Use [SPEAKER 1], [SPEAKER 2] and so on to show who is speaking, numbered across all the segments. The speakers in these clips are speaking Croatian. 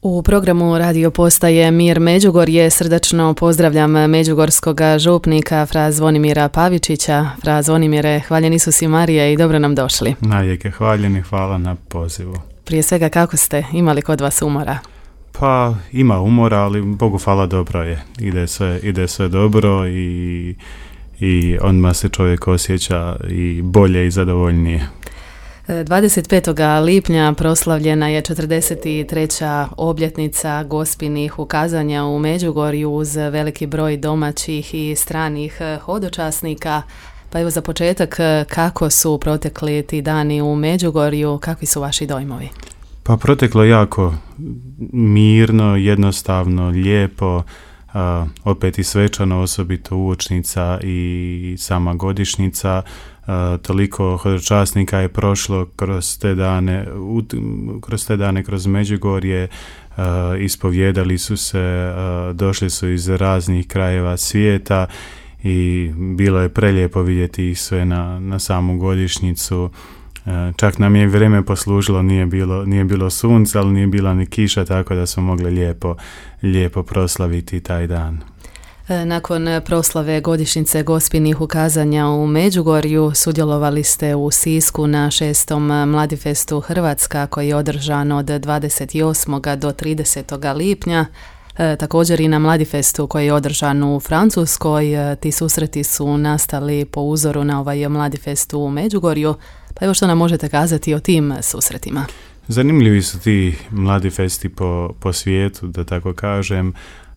[SPEAKER 1] U programu radio postaje Mir Međugorje srdačno pozdravljam međugorskog župnika fra Zvonimira Pavičića. Fra Zvonimire, hvaljen Isus i Marija i dobro nam došli.
[SPEAKER 2] Najljepše hvaljeni, hvala na pozivu.
[SPEAKER 1] Prije svega, kako ste? Imali kod vas umora?
[SPEAKER 2] Pa ima umora, ali Bogu hvala, dobro je. Ide sve dobro i odmah se čovjek osjeća i bolje i zadovoljnije.
[SPEAKER 1] 25. lipnja proslavljena je 43. obljetnica Gospinih ukazanja u Međugorju uz veliki broj domaćih i stranih hodočasnika. Pa evo za početak, kako su protekli ti dani u Međugorju, kakvi su vaši dojmovi?
[SPEAKER 2] Pa proteklo jako mirno, jednostavno, lijepo, opet i svečano, osobito uočnica i sama godišnjica. Toliko hodočasnika je prošlo kroz te dane kroz Međugorje, ispovjedali su se, došli su iz raznih krajeva svijeta i bilo je prelijepo vidjeti ih sve na samu godišnjicu. Čak nam je vrijeme poslužilo, nije bilo sunca, ali nije bila ni kiša, tako da smo mogli lijepo proslaviti taj dan.
[SPEAKER 1] Nakon proslave godišnjice Gospinih ukazanja u Međugorju sudjelovali ste u Sisku na 6. Mladifestu Hrvatska koji je održan od 28. do 30. lipnja. Također i na Mladifestu koji je održan u Francuskoj. Ti susreti su nastali po uzoru na ovaj Mladifest u Međugorju. Pa evo što nam možete kazati o tim susretima?
[SPEAKER 2] Zanimljivi su ti Mladifesti po svijetu, da tako kažem.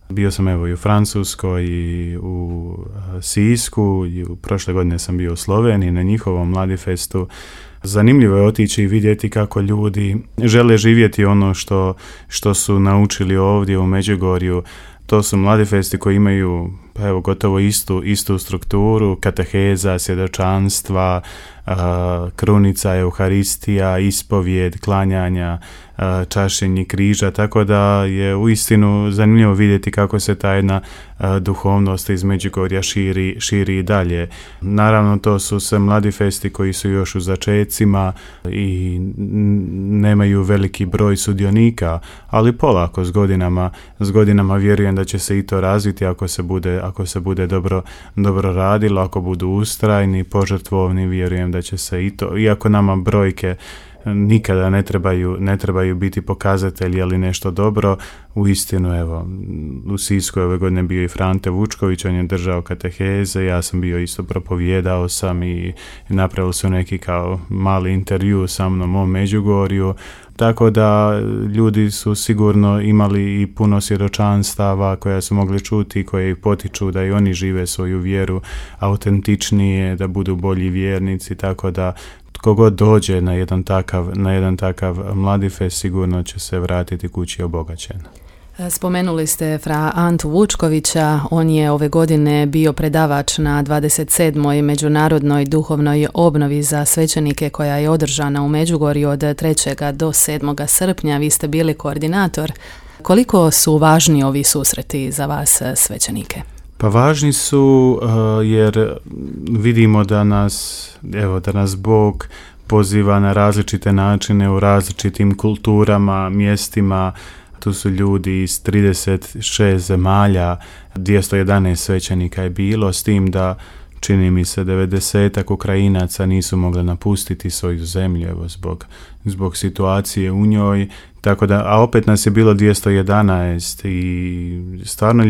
[SPEAKER 2] Bio sam evo i u Francuskoj i u Sisku i prošle godine sam bio u Sloveniji na njihovom Mladifestu. Zanimljivo je otići i vidjeti kako ljudi žele živjeti ono što su naučili ovdje u Međugorju. To su Mladifesti koji imaju gotovo istu strukturu, kateheza, svjedočanstva, krunica, euharistija, ispovjed, klanjanja, čašenje križa, tako da je uistinu zanimljivo vidjeti kako se ta jedna duhovnost iz Međugorja širi i dalje. Naravno, to su sve Mladifesti koji su još u začecima i nemaju veliki broj sudionika, ali polako s godinama vjerujem da će se i to razviti ako se bude dobro radilo, ako budu ustrajni, požrtvovni, vjerujem da će se i to, iako nama brojke nikada ne trebaju biti pokazatelji, ali nešto dobro. Uistinu, evo, u Sisku ove godine bio i Frante Vučković, on je držao kateheze, ja sam bio isto, propovijedao sam i napravili su neki kao mali intervju sa mnom o Međugorju, tako da ljudi su sigurno imali i puno svjedočanstava koja su mogli čuti, koje ih potiču da i oni žive svoju vjeru autentičnije, da budu bolji vjernici, tako da tko god dođe na jedan takav Mladifest sigurno će se vratiti kući obogaćen.
[SPEAKER 1] Spomenuli ste fra Antu Vučkovića, on je ove godine bio predavač na 27. međunarodnoj duhovnoj obnovi za svećenike koja je održana u Međugorju od 3. do 7. srpnja. Vi ste bili koordinator. Koliko su važni ovi susreti za vas svećenike?
[SPEAKER 2] Pa važni su jer vidimo da nas Bog poziva na različite načine u različitim kulturama, mjestima. Tu su ljudi iz 36 zemalja, 211 svećenika je bilo, s tim da čini mi se 90-ak Ukrajinaca nisu mogli napustiti svoju zemlju zbog situacije u njoj, tako da, a opet nas je bilo 211 i stvarno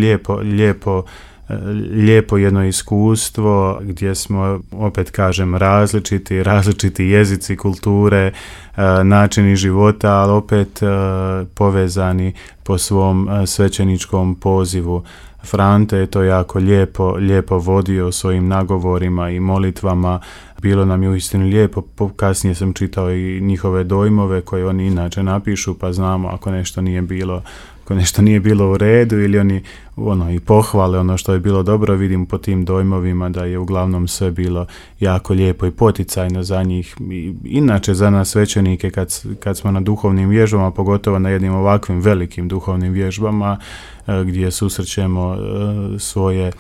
[SPEAKER 2] lijepo jedno iskustvo gdje smo, opet kažem, različiti jezici, kulture, načini života, ali opet povezani po svom svećeničkom pozivu. Frante je to jako lijepo vodio svojim nagovorima i molitvama. Bilo nam je uistinu lijepo. Kasnije sam čitao i njihove dojmove koje oni inače napišu, pa znamo ako nešto nije bilo u redu ili oni i pohvale ono što je bilo dobro. Vidim po tim dojmovima da je uglavnom sve bilo jako lijepo i poticajno za njih. I inače za nas svećenike kad smo na duhovnim vježbama, pogotovo na jednim ovakvim velikim duhovnim vježbama gdje susrećemo svoje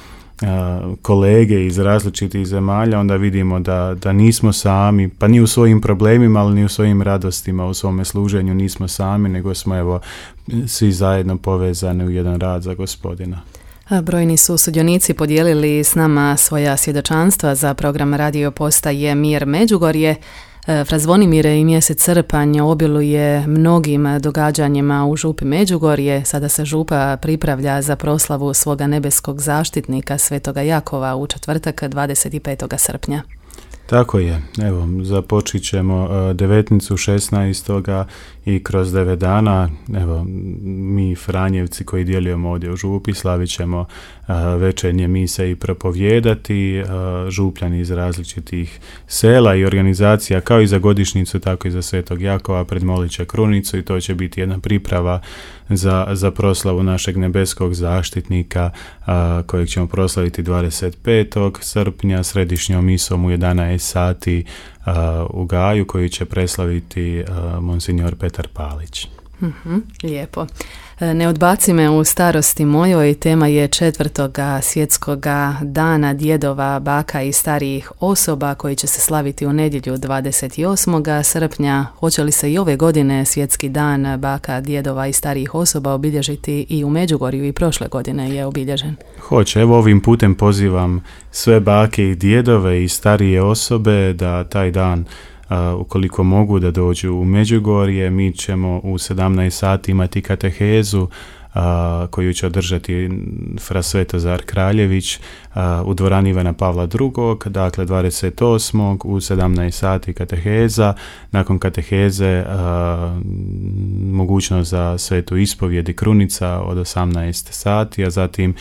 [SPEAKER 2] kolege iz različitih zemalja, onda vidimo da nismo sami, pa ni u svojim problemima, ali ni u svojim radostima, u svome služenju nismo sami, nego smo evo svi zajedno povezani u jedan rad za Gospodina.
[SPEAKER 1] Brojni su sudionici podijelili s nama svoja svjedočanstva za program radio postaje Mir Međugorje. Fra Zvonimire i mjesec srpanj obiluje mnogim događanjima u župi Međugorje. Sada se župa pripravlja za proslavu svoga nebeskog zaštitnika Svetoga Jakova u četvrtak 25. srpnja.
[SPEAKER 2] Tako je. Evo, započit ćemo devetnicu 16. i kroz 9 dana, evo, mi Franjevci koji djelujemo ovdje u župi, slavit ćemo večernje mise i propovijedati, župljani iz različitih sela i organizacija, kao i za godišnjicu, tako i za Svetog Jakova, predmolit će krunicu i to će biti jedna priprava za proslavu našeg nebeskog zaštitnika kojeg ćemo proslaviti 25. srpnja središnjom misom u 11 sati u Gaju, koju će preslaviti monsignor Petar Palić.
[SPEAKER 1] Lijepo. Ne odbaci me u starosti mojoj, tema je 4. svjetskog dana djedova, baka i starijih osoba koji će se slaviti u nedjelju 28. srpnja. Hoće li se i ove godine svjetski dan baka, djedova i starijih osoba obilježiti i u Međugorju i prošle godine je obilježen?
[SPEAKER 2] Hoće, evo ovim putem pozivam sve bake i djedove i starije osobe da taj dan ukoliko mogu da dođu u Međugorje. Mi ćemo u 17 sati imati katehezu koju će održati fra Svetozar Kraljević u dvorani Ivana Pavla II. Dakle 28. u 17 sati kateheza. Nakon kateheze mogućnost za svetu ispovjed i krunica od 18 sati, a zatim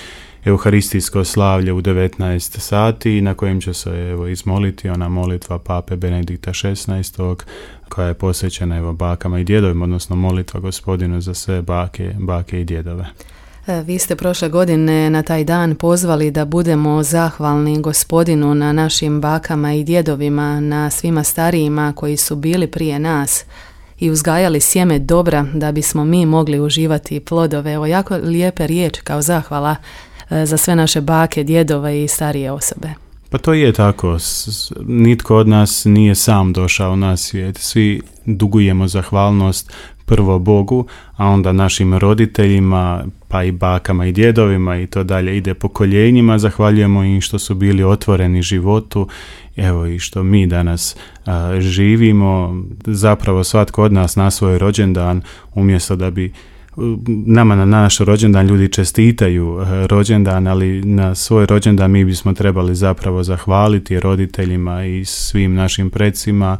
[SPEAKER 2] Euharistijsko slavlje u 19 sati na kojem će se izmoliti ona molitva Pape Benedikta XVI koja je posvećena bakama i djedovima, odnosno molitva Gospodinu za sve bake i djedove.
[SPEAKER 1] Vi ste prošle godine na taj dan pozvali da budemo zahvalni Gospodinu na našim bakama i djedovima, na svima starijima koji su bili prije nas i uzgajali sjeme dobra da bismo mi mogli uživati plodove. Evo jako lijepe riječi kao zahvala za sve naše bake, djedove i starije osobe.
[SPEAKER 2] Pa to je tako. Nitko od nas nije sam došao na svijet. Svi dugujemo zahvalnost prvo Bogu, a onda našim roditeljima, pa i bakama i djedovima i to dalje ide pokoljenjima. Zahvaljujemo im što su bili otvoreni životu, evo i što mi danas živimo. Zapravo svatko od nas na svoj rođendan, umjesto da bi nama na naš rođendan ljudi čestitaju rođendan, ali na svoj rođendan mi bismo trebali zapravo zahvaliti roditeljima i svim našim precima,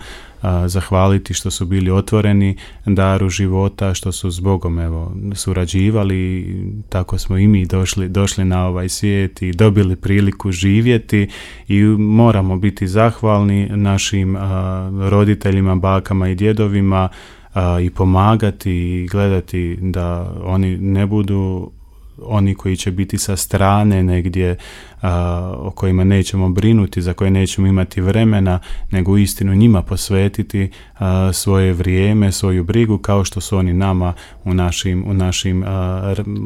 [SPEAKER 2] zahvaliti što su bili otvoreni daru života, što su s Bogom surađivali. Tako smo i mi došli na ovaj svijet i dobili priliku živjeti i moramo biti zahvalni našim roditeljima, bakama i djedovima i pomagati i gledati da oni ne budu oni koji će biti sa strane negdje, o kojima nećemo brinuti, za koje nećemo imati vremena, nego uistinu njima posvetiti svoje vrijeme, svoju brigu, kao što su oni nama u našim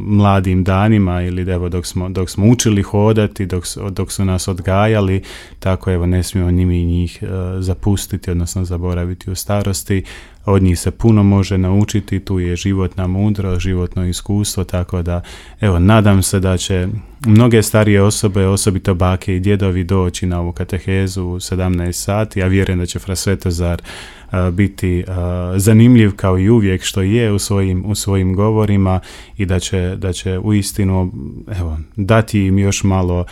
[SPEAKER 2] mladim danima ili evo dok smo učili hodati, dok su nas odgajali, tako evo ne smijemo njih zapustiti, odnosno zaboraviti u starosti. Od njih se puno može naučiti, tu je životna mudrost, životno iskustvo, tako da evo nadam se da će mnoge starije osobe, osobito bake i djedovi, doći na ovu katehezu u 17 sati. Ja vjerujem da će fra Svetozar biti zanimljiv kao i uvijek što je u svojim govorima i da će uistinu dati im još malo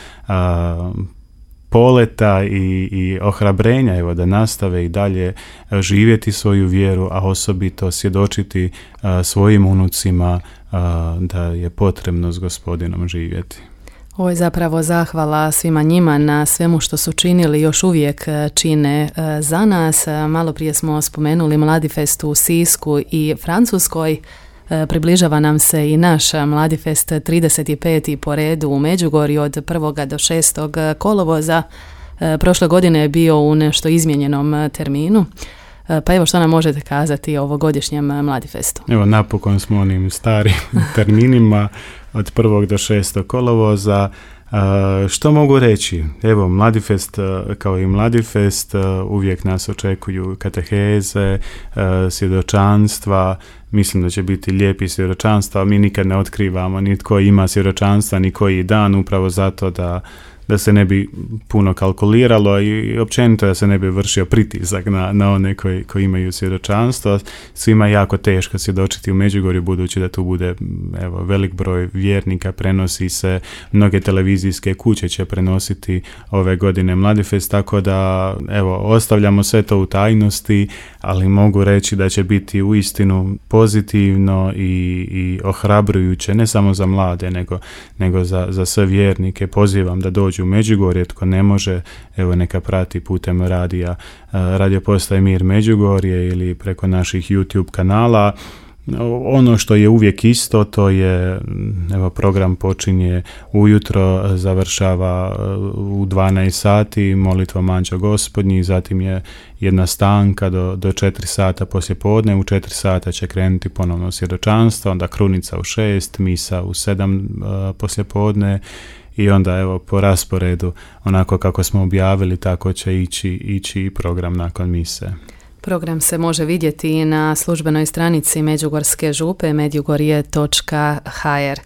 [SPEAKER 2] poleta i ohrabrenja da nastave i dalje živjeti svoju vjeru, a osobito svjedočiti svojim unucima da je potrebno s Gospodinom živjeti.
[SPEAKER 1] Ovo je zapravo zahvala svima njima na svemu što su činili, još uvijek čine za nas. Malo prije smo spomenuli Mladifest u Sisku i Francuskoj. Približava nam se i naš Mladifest 35. po redu u Međugorju od 1. do 6. kolovoza. Prošle godine je bio u nešto izmijenjenom terminu. Pa evo što nam možete kazati o ovogodišnjem Mladifestu?
[SPEAKER 2] Evo napokon smo onim starim terminima od 1. do 6. kolovoza. Što mogu reći? Evo, Mladifest, kao i Mladifest, uvijek nas očekuju kateheze, svjedočanstva. Mislim da će biti lijepi svjedočanstva, mi nikad ne otkrivamo ni tko ima svjedočanstva, ni koji dan, upravo zato da se ne bi puno kalkuliralo i općenito da se ne bi vršio pritisak na one koji imaju svjedočanstvo. Svima je jako teško svjedočiti u Međugorju, budući da tu bude velik broj vjernika, prenosi se, mnoge televizijske kuće će prenositi ove godine Mladifest, tako da ostavljamo sve to u tajnosti, ali mogu reći da će biti uistinu pozitivno i ohrabrujuće, ne samo za mlade, nego za sve vjernike. Pozivam da dođu u Međugorje, tko ne može, neka prati putem radio postaje Mir Međugorje ili preko naših YouTube kanala. Ono što je uvijek isto, to je, program počinje ujutro, završava u 12 sati molitvom Anđeo Gospodnji, zatim je jedna stanka do 4 sata poslijepodne, u 4 sata će krenuti ponovno svjedočanstvo, onda krunica u 6, misa u 7 poslijepodne i onda po rasporedu, onako kako smo objavili, tako će ići program nakon mise.
[SPEAKER 1] Program se može vidjeti na službenoj stranici Međugorske župe međugorje.hr.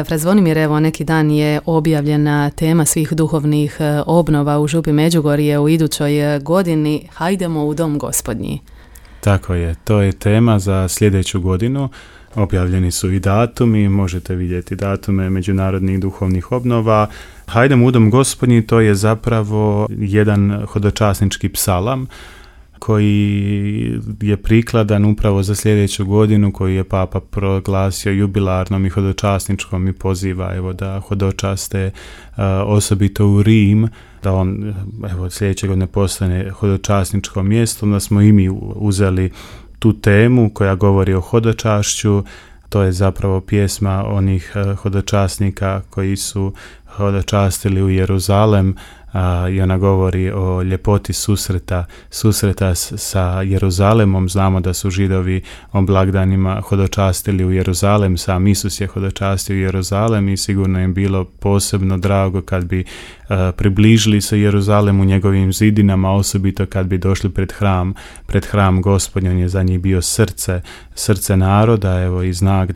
[SPEAKER 1] Fra Zvonimir, neki dan je objavljena tema svih duhovnih obnova u župi Međugorje u idućoj godini. Hajdemo u dom Gospodnji.
[SPEAKER 2] Tako je, to je tema za sljedeću godinu. Objavljeni su i datumi, možete vidjeti datume međunarodnih duhovnih obnova. Hajdemo u dom Gospodnji, to je zapravo jedan hodočasnički psalam koji je prikladan upravo za sljedeću godinu, koji je Papa proglasio jubilarnom i hodočasničkom i poziva da hodočaste osobito u Rim, da on sljedeće godine postane hodočasničko mjesto. Onda smo i mi uzeli tu temu koja govori o hodočašću. To je zapravo pjesma onih hodočasnika koji su hodočastili u Jeruzalem, i ona govori o ljepoti susreta sa Jeruzalemom. Znamo da su Židovi o blagdanima hodočastili u Jeruzalem, sam Isus je hodočastio u Jeruzalem i sigurno je bilo posebno drago kad bi približili se Jeruzalemu njegovim zidinama, osobito kad bi došli pred hram Gospodnji. On je za njih bio srce naroda, i znak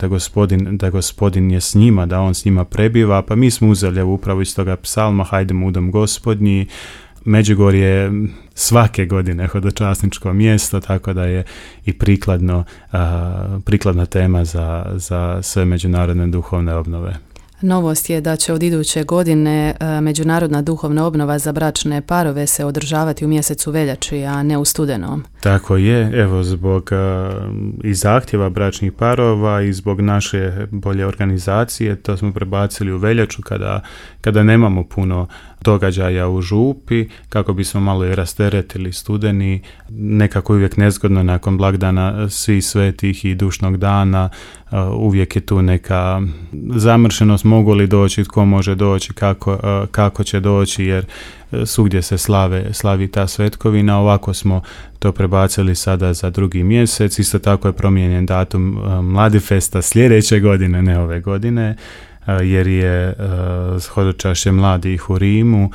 [SPEAKER 2] da gospodin je s njima, da on s njima prebiva. Pa mi smo uzeli upravo iz toga psalma Hajdemo u dom Gospodnji. Međugorje je svake godine hodočasničko mjesto, tako da je i prikladna tema za sve međunarodne duhovne obnove.
[SPEAKER 1] Novost je da će od iduće godine međunarodna duhovna obnova za bračne parove se održavati u mjesecu veljači, a ne u studenom.
[SPEAKER 2] Tako je, zbog i zahtjeva bračnih parova i zbog naše bolje organizacije, to smo prebacili u veljaču kada nemamo puno događaja u župi, kako bismo malo i rasteretili studeni. Nekako uvijek nezgodno nakon blagdana Svih svetih i dušnog dana, uvijek je tu neka zamršenost, mogu li doći, tko može doći, kako će doći, jer svugdje se slavi ta svetkovina. Ovako smo to prebacili sada za 2. mjesec. Isto tako je promijenjen datum Mladifesta sljedeće godine, ne ove godine, jer je hodočašće mladih u Rimu,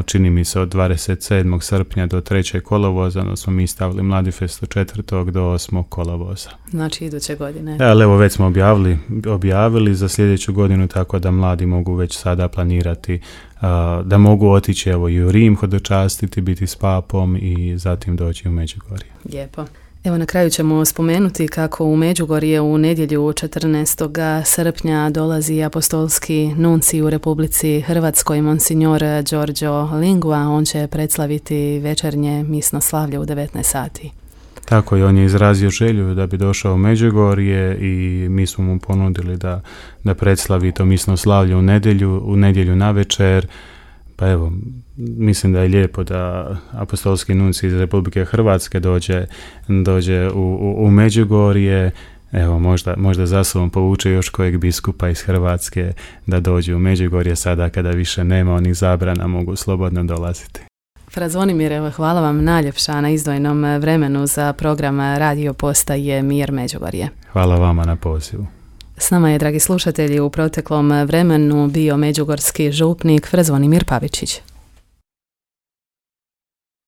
[SPEAKER 2] čini mi se od 27. srpnja do 3. kolovoza, no smo mi stavili Mladifest od 4. do 8. kolovoza.
[SPEAKER 1] Znači iduće godine.
[SPEAKER 2] Ali već smo objavili za sljedeću godinu, tako da mladi mogu već sada planirati da mogu otići i u Rim hodočastiti, biti s papom i zatim doći u Međugorje.
[SPEAKER 1] Lijepo. Na kraju ćemo spomenuti kako u Međugorje u nedjelju 14. srpnja dolazi apostolski nuncij u Republici Hrvatskoj, monsignor Giorgio Lingua. On će predslaviti večernje misno slavlje u 19 sati.
[SPEAKER 2] Tako je, on je izrazio želju da bi došao u Međugorje i mi smo mu ponudili da predslavi to misno slavlje u nedjelju navečer. Pa mislim da je lijepo da apostolski nuncij iz Republike Hrvatske dođe u Međugorje. Možda za sobom povuče još kojeg biskupa iz Hrvatske da dođe u Međugorje sada kada više nema onih zabrana, mogu slobodno dolaziti.
[SPEAKER 1] Fra Zvonimir, hvala vam najljepša na izdvojenom vremenu za program Radio Postaje Mir Međugorje.
[SPEAKER 2] Hvala vama na pozivu.
[SPEAKER 1] S nama je, dragi slušatelji, u proteklom vremenu bio međugorski župnik Zvonimir Pavičić.